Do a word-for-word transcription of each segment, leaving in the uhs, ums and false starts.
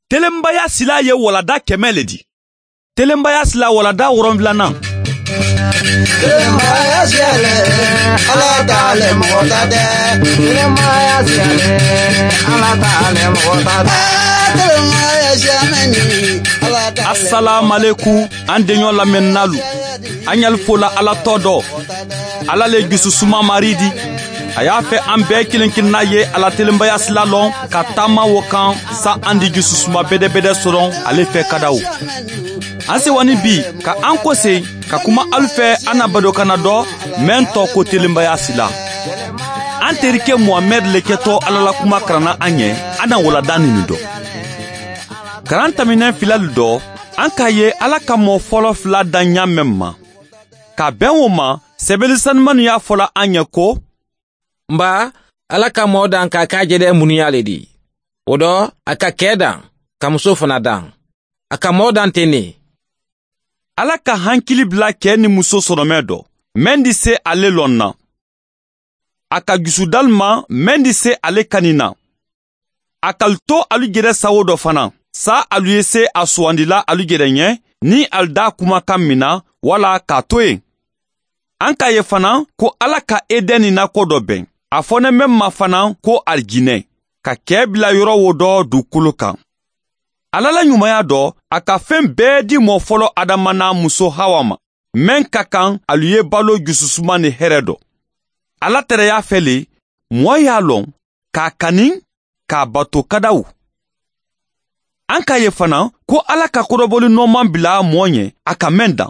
Telenbaya sila ye walada kɛmɛ le di. Telenbaya sila walada wɔrɔnwulanan. Telenbaya sila le, ala ta le mɔgɔ ta tɛ. Telenbaya sila le, ala ta le mɔgɔ ta tɛ. Telenbaya sila ni, ala ta le. Asalaamalekum, an deɲɔ lamɛnnalu. An ɲali fola ala tɔ dɔ. Ala le jususuma mari di. A y'a fɛ an bɛɛ kelen kelenna ye ala telenbaya sila lɔn ka taama wo kan. Sa an di jususuma bedebede sɔrɔ ale fɛ kadaw. An sewani bi ka an kose ka kuma alu fɛ an na badokana dɔ mɛn tɔ ko telenbaya sila. An terikɛ muhamɛd le kɛtɔ ala la kuma karanna an ɲɛ. An na walada nini dɔ. Karan tɛmɛnen filali dɔ, an k'a ye ala ka mɔɔ fɔlɔ fila da ɲa mɛn ma. Ka bɛn o ma, sɛbɛli sanumanu y'a fɔla an ɲɛ ko, n ba, ala ka mɔɔ dan k'a k'a jɛdɛ munuya le di. O dɔ, a ka kɛɛ dan ka muso fana dan. A ka mɔɔ dan ten ne. Ala ka hankili bila kɛɛ ni muso sɔrɔmɛ dɔ, mɛn di se ale lɔn na. A ka jusudalu ma, mɛn di se ale kani na. A kali to alu jɛdɛ sawo dɔ fana, sa alu ye se a suwandila alu jɛdɛ ɲɛ, ni alu da kumakan min na, wala k'a to yen. An k'a ye fana ko ala ka edɛni nako dɔ bɛn, a fɔnɛmɛ ma fana ko alijinɛ, ka kɛɛ bila yɔrɔ wo dɔ dugukolo kan. Ala la ɲumanya dɔ, a ka fɛn bɛɛ di mɔɔ fɔlɔ adama n'a muso hawa ma, mɛn ka kan alu ye balo jususuma ni hɛrɛ dɔ. Ala tɛrɛya fɛ le, mɔɔ y'a lɔn k'a kani, k'a bato kadaw. An k'a ye fana ko ala ka kɔdɔbɔli nɔɔman bila mɔɔ ɲɛ a ka mɛn dan.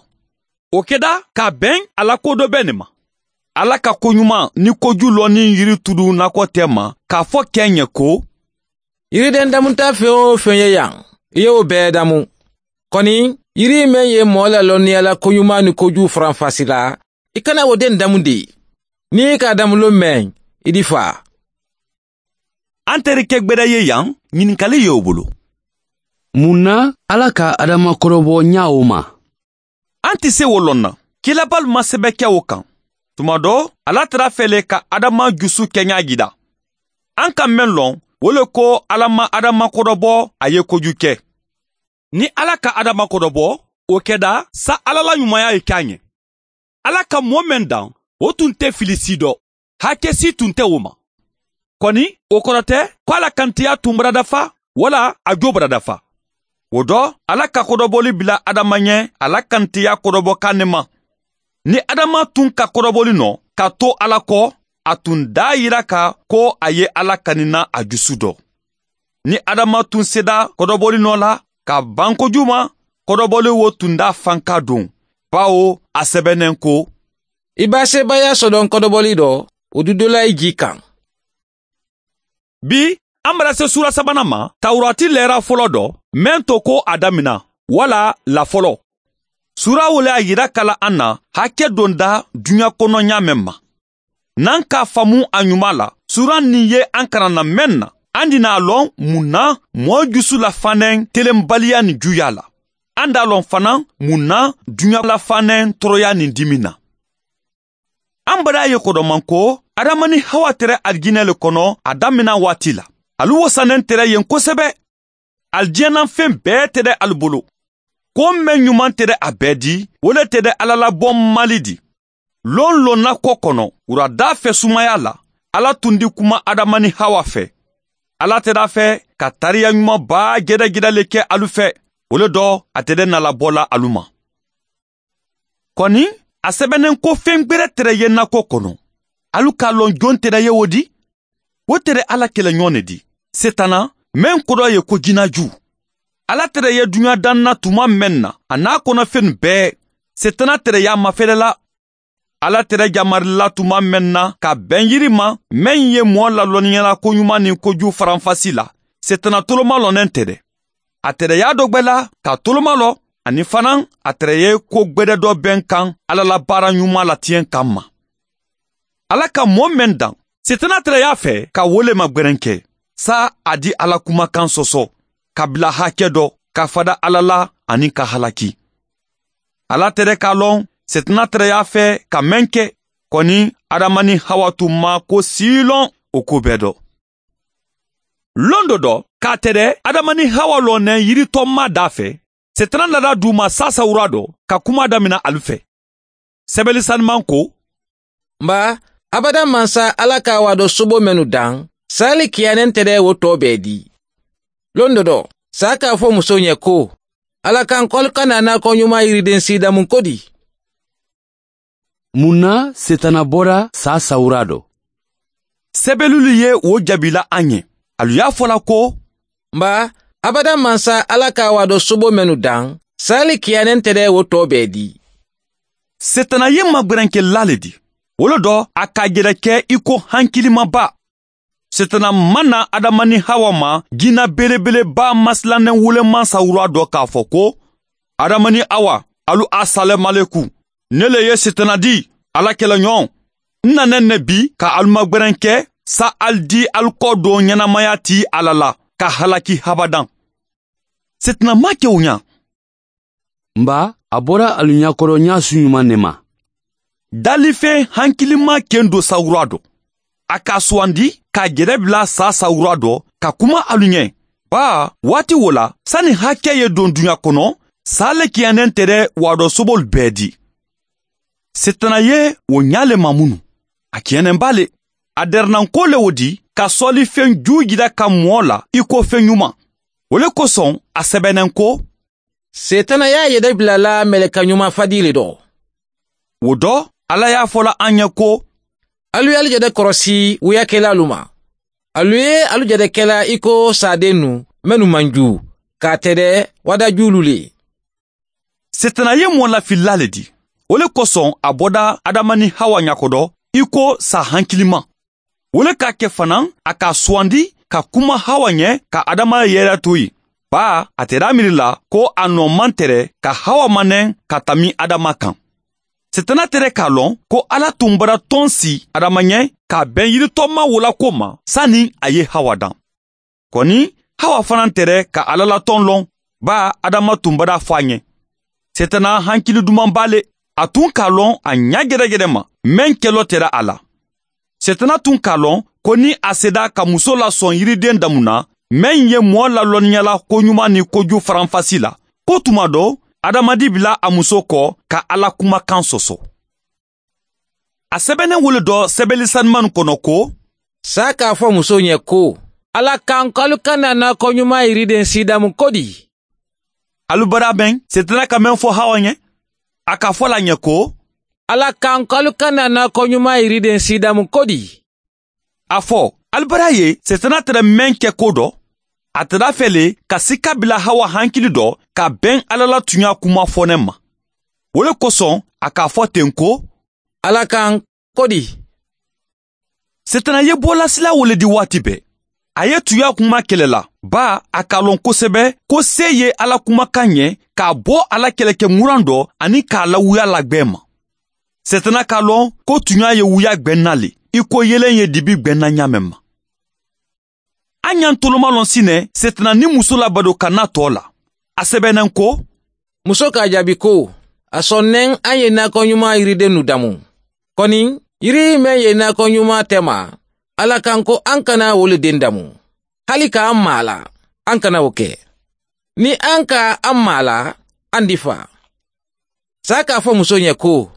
O kɛda k'a bɛn a la ko dɔ bɛɛ ne ma. Ala ka koɲuman ni koju lɔnni yiri tudu nakɔ tɛ ma k'a fɔ kɛ ɲɛ ko, yiriden damuta fɛn o fɛn ye yan, i ye o bɛɛ damu. Kɔni, yiri meŋ ye mɔɔ lalɔnniya la koɲuman ni koju faranfasi la, i kana wo den damu de. Ni i k'a damulon mɛn, i di faa. An terikɛ gbɛdɛ ye yan, ɲininkali ye o bolo. Mun na ala ka adama kɔrɔbɔ ɲa o ma? An tɛ se wo lɔn na. Kilabalu ma sɛbɛ kɛ o kan. Tuma dɔ, ala tara fɛ le ka adama jusu kɛɲa jira. An ka mɛn lɔn, wo le ko ala ma adama kɔrɔbɔ a ye koju kɛ. Ni ala ka adama kɔrɔbɔ, o kɛda sa ala la ɲumanya ye k'a ɲɛ. Ala ka mɔɔ mɛn dan, o tun tɛ fili si dɔ. Hakɛ si tun tɛ o ma. Kɔni, o kɔrɔ tɛ ko ala kantiya tun baradafa, wala a jo baradafa. O dɔ, ala ka kɔdɔbɔli bila adama ɲɛ, ala kantiya kɔdɔbɔ kan ne ma. Ni adama tun ka kɔdɔbɔli nɔ ka to ala kɔ, a tun da yira ka ko a ye ala kanina a jusu dɔ. Ni adama tun seda kɔdɔbɔli nɔ la ka ban koju ma, kɔdɔbɔli wo tun da fanka don, bawo a sɛbɛnnen ko, i b'a sebaaya sɔdɔn kɔdɔbɔli dɔ, o du dola i ji kan. Bi, an bara se sura sabanan ma, tawurati lɛra fɔlɔ dɔ, mɛn to ko a damina, wala lafɔlɔ. Sura wole a yira kala an na hakɛ don da duɲa kɔnɔ ɲa mɛn ma. N'an k'a faamu a ɲuman la, suran nin ye an karanna mɛn na, an di n'a lɔn mun na mɔɔ jusu lafannen telenbaliya nin juya la. An d'a lɔn fana mun na duɲa lafannen tɔɔrɔya nin dimi na. An bara ye kɔdɔman ko adama ni hawa tɛrɛ alijinɛ le kɔnɔ a damina waati la. Alu wasannen tɛrɛ yen kosɛbɛ. Alijinɛna fen bɛɛ tɛ dɛ alu bolo. Ko mɛn ɲuman tɛ dɛ a bɛɛ di, wo le tɛ dɛ ala la bɔ mali di. Lon lonna kɔ kɔnɔ, wurada fɛ sumaya la, ala tun di kuma adama ni hawa fɛ. Ala tɛ d'a fɛ ka tariya ɲuman baa jɛdɛjɛdɛ le kɛ alu fɛ. Wo le dɔ, a tɛ dɛ nalabɔla alu ma. Kɔni, a sɛbɛnnen ko fen gberɛ tɛrɛ ye nakɔ kɔnɔ. Alu k'a lɔn jon tɛrɛ ye wo di? Wo tɛrɛ ala kɛlɛɲɔgɔn ne di, setana, mɛn kodɔ ye ko jinaju. Ala tɛrɛ ye duɲa dan na tuma mɛn na a n'a kɔnɔfen bɛɛ, setana tɛrɛ y'a mafɛlɛla. Ala tɛrɛ jamarila tuma mɛn na ka bɛn yiri ma, mɛn ye mɔɔ lalɔnniyala koɲuman ni koju faranfasi la, setana tolomalɔnnen tɛ dɛ. A tɛrɛ y'a dɔ gwɛ la ka tolomalɔ, ani fana a tɛrɛ ye ko gwɛdɛ dɔ bɛn kan ala la baara ɲuman latiɲɛ kan ma. Ala ka mɔɔ mɛn dan, setana tɛrɛ y'a fɛ ka wolema gwɛrɛn kɛ, sa a di ala kumakan sɔsɔ, ka bila hakɛ dɔ, ka fada ala la, ani ka halaki. Ala tɛrɛ k'a lɔn, setana tɛrɛ y'a fɛ ka mɛn kɛ. Kɔni, adama ni hawa tun ma ko si lɔn o ko bɛɛ dɔ. Londo dɔ k'a tere adama ni hawa lɔnnɛ yiritɔnma daa fɛ, setana nada du ma saasawura dɔ ka kuma damina alu fɛ. Sɛbɛli saniman ko, n ba, abada mansa ala ka a waadɔ sobo mennu daŋ, saa le kiyaanɛ nte de wo tɔ bɛɛ di. Londo dɔ, saa ka a fɔ muso ɲɛ ko, ala kaŋ ko alu kana naakɔɲumaa yiriden siidamun ko di? Mun na setana bɔra saa sawura dɔ? Sɛbɛlulu ye wo jaabila a ɲɛ. Alu y'a fɔ la ko, n ba, abada mansa ala ka a waadɔ sobo mennu daŋ, saa le kiyaanɛ nte de wo tɔ bɛɛ di. Setana ye magberenkelaa le di. Wo le dɔ, a k'a jɛrɛ kɛ i ko hankilimanba. Setana ma na adama ni hawa ma jinna belebeleba masilannen wuleman sawura dɔ k'a fɔ ko, adama ni hawa, alu asalɛmaleku. Ne le ye setana di, ala kɛlɛɲɔgɔn. N nana ne bi ka alu magberenke, sa alu di alu kɔ don ɲɛnamaya ti ala la, ka halaki habadan. Setana ma kɛ o ɲa. N ba, a bɔra alu ɲakɔrɔ ɲa su ɲuman ne ma. Dalifen hankiliman ken do sawura dɔ, a k'a sugandi k'a jɛrɛ bila saa sawura dɔ ka kuma alu ɲɛ. Baa, waati wo la, sani hakɛ ye don duɲa kɔnɔ, saa le kiyannen tɛ dɛ, waadɔ sobolu bɛɛ di. Setana ye wo ɲa le mamunu. A kiyannen b'a le. A dɛrɛnanko le wo di ka sɔlifen juu jira ka mɔɔ la i ko fen ɲuman. Wo le kosɔn a sɛbɛnnen ko, setana y'a yɛrɛ bila la mɛlɛkɛ ɲuman fadii le dɔ. Wo dɔ, ala y'a fɔ la an ɲɛ ko, alu ye alu jɛrɛ kɔrɔsi wuyakelaalu ma. Alu ye alu jɛrɛ kɛla i ko saadennu mennu man juu, k'a tɛ dɛ, wadajuulu le. Setana ye mɔɔ lafilila le di. Wo le kosɔn a bɔda adama ni hawa ɲakɔdɔ i ko saa hankiliman. Wo le k'a kɛ fanaŋ, a k'a sugandi ka kuma hawa ɲɛ ka adama yɛrɛ to yen. Baa, a tɛ da miiri la ko a nɔ man tɛrɛ ka hawa manɛn ka tanbi adama kan. Setana tɛrɛ k'a lɔn ko ala tun bara tɔn si adama ɲɛ k'a bɛn yiritɔma wolako ma sani a ye hawa dan. Kɔni, hawa fana tɛrɛ ka ala la tɔn lɔn. Baa, adama tun bara fɔ a ɲɛ. Setana hankili duman b'a le. A tun k'a lɔn a ɲa gɛrɛgɛrɛ ma, meŋ kɛlɔ tɛra a la. Setana tun k'a lɔn ko ni a seda ka muso lasɔn yiriden damu na, meŋ ye mɔɔ lalɔnniya la koɲuman ni koju faranfasi la, ko tuma dɔ, adamadi bila a muso kɔ ka ala kumakan sɔsɔ. A sɛbɛnnen wele dɔ sɛbɛli saniman kɔnɔ ko, saa k'a fɔ muso ɲɛ ko, ala kan ko alu kana naakɔɲuman yiriden siidamu ko di? Alu bara bɛn setana ka meŋ fɔ hawa ɲɛ? A ka fɔ la ɲɛ ko, ala kan ko alu kana naakɔɲuman yiriden siidamu ko di? A fɔ, alu bara ye setana tɛrɛ meŋ kɛ ko dɔ? A tɛrɛ a fɛ le ka sika bila hawa hankili dɔ ka bɛn ala la tuɲa kuma fɔnɛ ma. Wo le kosɔn a k'a fɔ ten ko, ala kan ko di? Setana ye bɔlasila wo le di waati bɛɛ. A ye tuɲa kuma kɛlɛ la. Baa, a k'a lɔn kosɛbɛ ko se ye ala kumakan ɲɛ k'a bɔ ala kɛlɛkɛ muran dɔ ani k'a lawuya la gwɛn ma. Setana k'a lɔn ko tuɲa ye wuya gwɛn na le, i ko yeelen ye dibi gwɛn na ɲaamɛ ma. An ɲa n toloma lɔn sinɛ setana ni muso la badokanna tɔ la. A sɛbɛnnen ko, muso k'a jaabi ko, a sɔnnen an ye naakɔɲuman yiridennu damu. Kɔni, yiri meŋ ye naakɔɲuman tɛ ma, ala kan ko an kana wo le den damu. Hali k'an maa la, an kana wo kɛ. Ni an ka an maa la, an di faa. Saa k'a fɔ muso ɲɛ ko,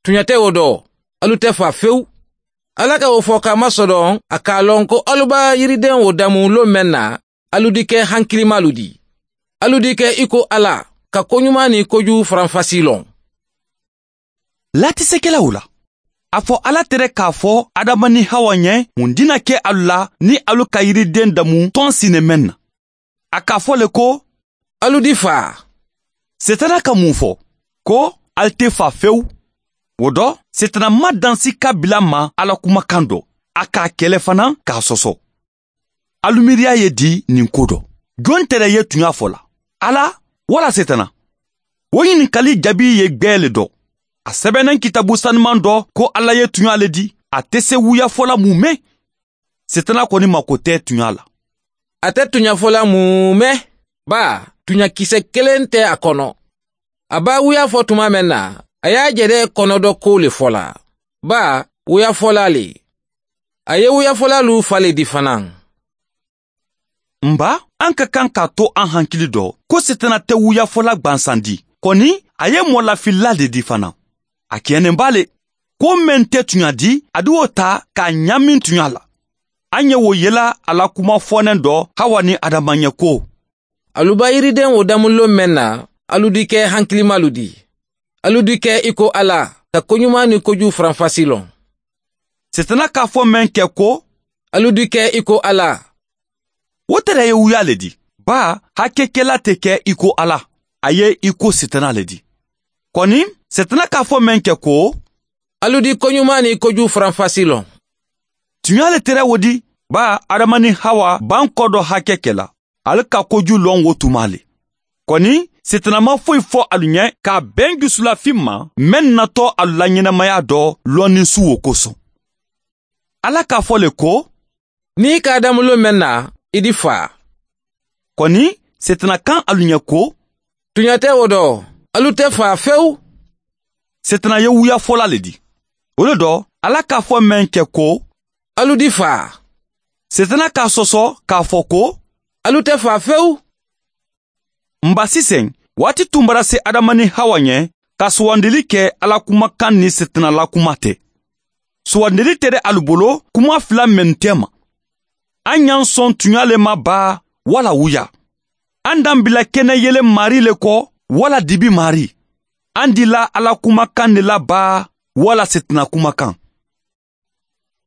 tuɲa tɛ wo dɔ, alu tɛ faa fewu. Ala ka wo fɔ k'a masɔrɔ a k'a lɔn ko alu b'a yiriden wo damu lon meŋ na, alu di kɛ hankilimaalu di. Alu di kɛ i ko ala ka koɲuman ni koju faranfasi lɔn. Laatisekɛlaw la, a fɔ ala tere k'a fɔ adama ni hawa ɲɛ mun dina kɛ alu la ni alu ka yiriden damu tɔn sinɛ meŋ na. A k'a fɔ le ko, alu di faa. Setana ka mun fɔ? Ko, alu tɛ faa fewu. Wo dɔ, setana ma dansi ka bila ma ala kumakan dɔ, a k'a kɛlɛ fana k'a sɔsɔ. Alu miiriya ye di nin ko dɔ? Jɔn tɛrɛ ye tuɲa fɔ la, ala wala setana? Wo ɲininkali jaabi ye gwɛɛ le dɔ. A sɛbɛnnen kitabu saniman dɔ ko ala ye tuɲa le di. A tɛ se wuyafɔla mun mɛn. Setana kɔni mako tɛ tuɲa la. A tɛ tuɲafɔla mun mɛn. Baa, tuɲakisɛ kelen tɛ a kɔnɔ. A b'a wuya fɔ tuma mɛn na, a y'a jɛrɛ kɔnɔdɔ ko le fɔ la. Baa, wuyafɔla le. A ye wuyafɔlalu fa le di fana. N ba, an ka kan k'a to an hankili dɔ ko setana tɛ wuyafola gbansandi. Kɔni, a ye mɔlafilila le di fana. A kɛɲɛnen b'a le. Ko meŋ tɛ tuɲa di, a di wo ta k'a ɲaamin tuɲa la. An ye wo yela a la kuma fɔɔnɛ dɔ hawa ni adama ɲɛ ko, alu ba yiriden wo damulilo meŋ na, alu di kɛ hankilimalu di. Alu di kɛ i ko ala, ka koɲuman ni koju faranfasi lɔn. Setana k'a fɔ meŋ kɛ ko, alu di kɛ i ko ala. Wo tere ye wuya le di. Baa, hakekela tɛ kɛ i ko ala, a ye i ko setana le di. Kɔni, setana k'a fɔ meŋ kɛ ko, alu di koɲuman ni koju faranfasi lɔn. Tuɲa le tere wo di. Baa, adama ni hawa b'an kɔ dɔ hakɛ kɛ la. Ali ka koju lɔn wo tuma le. Kɔni, setana ma foyi fɔ alu ɲɛ k'a bɛn jusulafin ma meŋ natɔ alu la ɲɛnamaya dɔ lɔnni su wo kosɔn. Ala k'a fɔ le ko, ni i ka damulilo meŋ na, i di faa. Kɔni, setana kan alu ɲɛ ko, tuɲa tɛ wo dɔ, alu tɛ faa fewu. Setana ye wuyafola le di. Wo le dɔ, ala k'a fɔ meŋ kɛ ko, alu di faa. Setana k'a sɔsɔ k'a fɔ ko, alu tɛ faa fewu. N ba, sisan, waati tun bara se adama ni hawa ɲɛ ka sugandili kɛ ala kumakan ni setana la kuma tɛ. Sugandili tɛ de alu bolo kuma fila mennu tɛ ma. An y'an sɔn tuɲa le ma baa, wala wuya? An dan bila kɛnɛ yelen mari le kɔ, wala dibi mari? An dila ala kumakan de la baa, wala setana kumakan?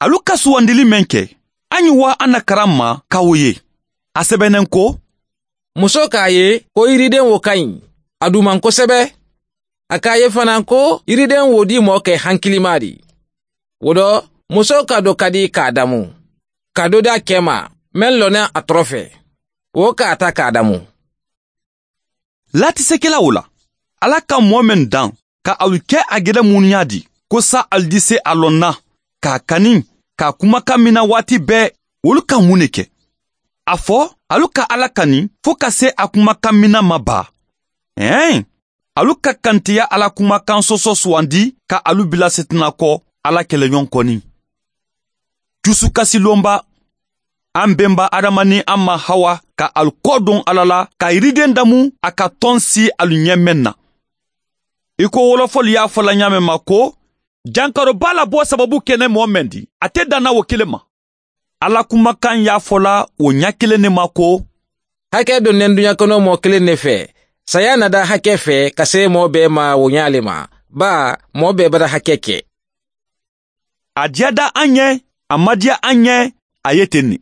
Alu ka sugandili meŋ kɛ, an ye waa an na karan ma ka wo ye. A sɛbɛnnen ko, muso k'a ye ko yiriden wo ka ɲi, a duman kosɛbɛ. A k'a ye fana ko yiriden wo di mɔɔ kɛ hankilima di. Wo dɔ, muso ka do ka di k'a damu, ka do di a kɛ ma, meŋ lɔnna a tɔrɔ fɛ, wo k'a ta k'a damu. Laatisekela wo la, ala ka mɔɔ meŋ dan ka alu kɛ a gɛrɛ munuya di, ko sa alu di se a lɔn na, k'a kani, k'a kumakan mina waati bɛɛ, wolu ka mun ne kɛ? A fɔ, alu ka ala kani fo ka se a kumakan mina ma baa? Ɛɛn, alu ka kantiya ala kumakan sɔsɔ sugandi ka alu bila setana kɔ, ala kɛlɛɲɔgɔn kɔni. Jusukasilonba, an benba adama ni an ma hawa ka alu kɔ don ala la ka yiriden damu a ka tɔn si alu ɲɛ meŋ na. I ko wolofɔli y'a fɔ la ɲaameŋ ma ko, jankaroba labɔ sababu kɛnɛ mɔɔ meŋ di, a tɛ dan na wo kelen ma. Ala kumakan y'a fɔ la wo ɲɛ kelen ne ma ko, hakɛ donnen duɲa kɔnɔ mɔɔ kelen ne fɛ, saya na da hakɛ fɛ ka se mɔɔ bɛɛ ma wo ɲa le ma. Baa, mɔɔ bɛɛ bara hakɛ kɛ. A diyada an ɲɛ, a madiya an ɲɛ, a ye ten ne.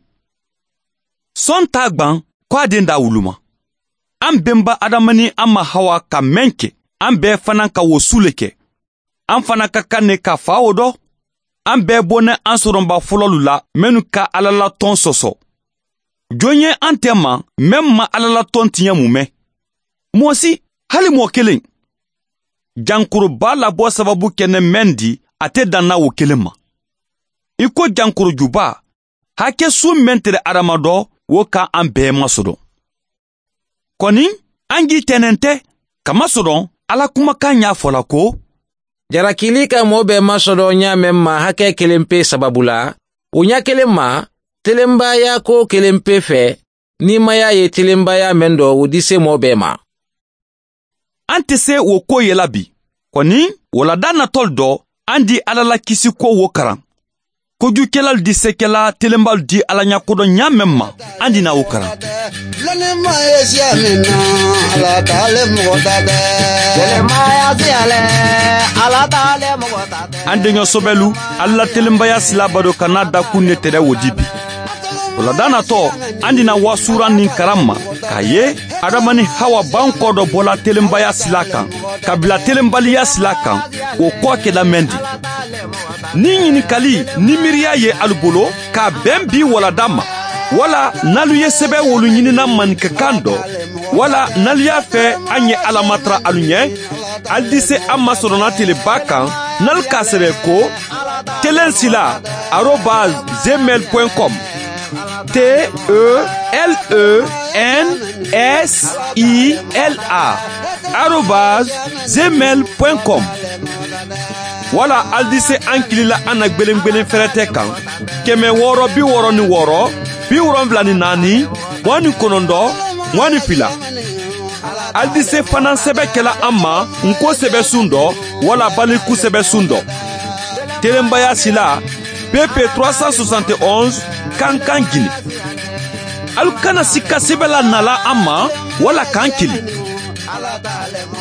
Sɔn t'a gwan ko a den da wuluma. An benba adama ni an ma hawa ka meŋ kɛ, an bɛɛ fana ka wo su le kɛ. An fana ka kan ne ka fa wo dɔ. An bɛɛ bɔnɛ an sɔrɔnba fɔlɔlu la mennu ka ala la tɔn sɔsɔ. Jɔn ye an tɛ ma, meŋ ma ala la tɔn tiɲɛ mun mɛn? Mɔɔ si, hali mɔɔ kelen. Jankoroba labɔ sababu kɛnɛ meŋ di, a tɛ dan na wo kelen ma. I ko jankorojuba, hakɛ su meŋ tere adama dɔ, wo ka an bɛɛ masɔdɔn. Kɔni, an ji tɛnɛn tɛ, kamasɔdɔn ala kumakan y'a fɔ la ko, jarakili ka mɔɔ bɛɛ masɔdɔn ɲaameŋ ma hakɛ kelen pe sababu la, wo ɲa kelen ma, telenbaya ko kelen pe fɛ, niimaya ye telenbaya meŋ dɔ, wo di se mɔɔ bɛɛ ma. An tɛ se wo ko ye la bi. Kɔni, wulada natɔli dɔ, an di ala la kisi ko wo karan. Kojukɛlalu di sekɛla telenbalu di ala ɲakodɔn ɲaameŋ ma, an di na wo karan. An deɲɔ sobɛlu, ala la telenbaya sila bado ka n'a dakun ne tɛrɛ wo di bi. Wulada natɔ, an di na waasuran nin karan ma, k'a ye adama ni hawa b'an kɔ dɔ bɔla telenbaya sila kan ka bila telenbaliya sila kan. Wo kɔ kɛla meŋ di? Ni ɲininkali ni miiriya ye alu bolo k'a bɛn bi wulada ma, wala n'alu ye sɛbɛn wolu ɲinina maninkakan dɔ, wala n'alu y'a fɛ an ye ala matara alu ɲɛ, alu di se an ma sɔrɔna teleba kan, n'alu k'a sɛbɛn ko, telensila arobase gmail point com. T E L E N S I L A arobase gmail point com. Wala alu di se an kili la an na gbelengbelen fɛrɛtɛ kan, kɛmɛ wɔɔrɔ bi wɔɔrɔ ni wɔɔrɔ, bi wolonwula ni naani, mugan ni konondɔ mugan ni fila. Alidise fanaa sɛbɛ kɛla an ma nko sɛbɛ sun dɔ, wala baliku sɛbɛ sun dɔ. Telenbaya sila, pepe trois cent soixante et onze, kankan gili. Alu kana sika sɛbɛ la nala an ma, wala kan kili.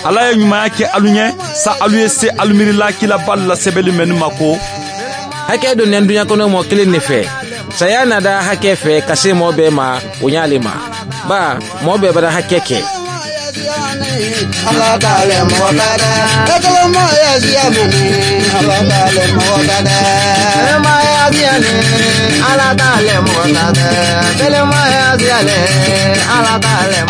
Ala ye ɲumanya kɛ alu ɲɛ, sa alu ye se alu miiri laakila baalu la sɛbɛli mennu ma ko, hakɛ donnɛ duɲa kɔnɔ mɔɔ kelen ne fɛ, saya na da hakɛ fɛ ka se mɔɔ bɛɛ ma, o ɲaale ma. Baa, mɔɔ bɛɛ bada hakɛ kɛ. Ala t'ale mɔgɔ ta dɛ. Ala t'ale mɔgɔ ta dɛ. Ala t'ale mɔgɔ ta dɛ. Ala t'ale mɔgɔ ta dɛ.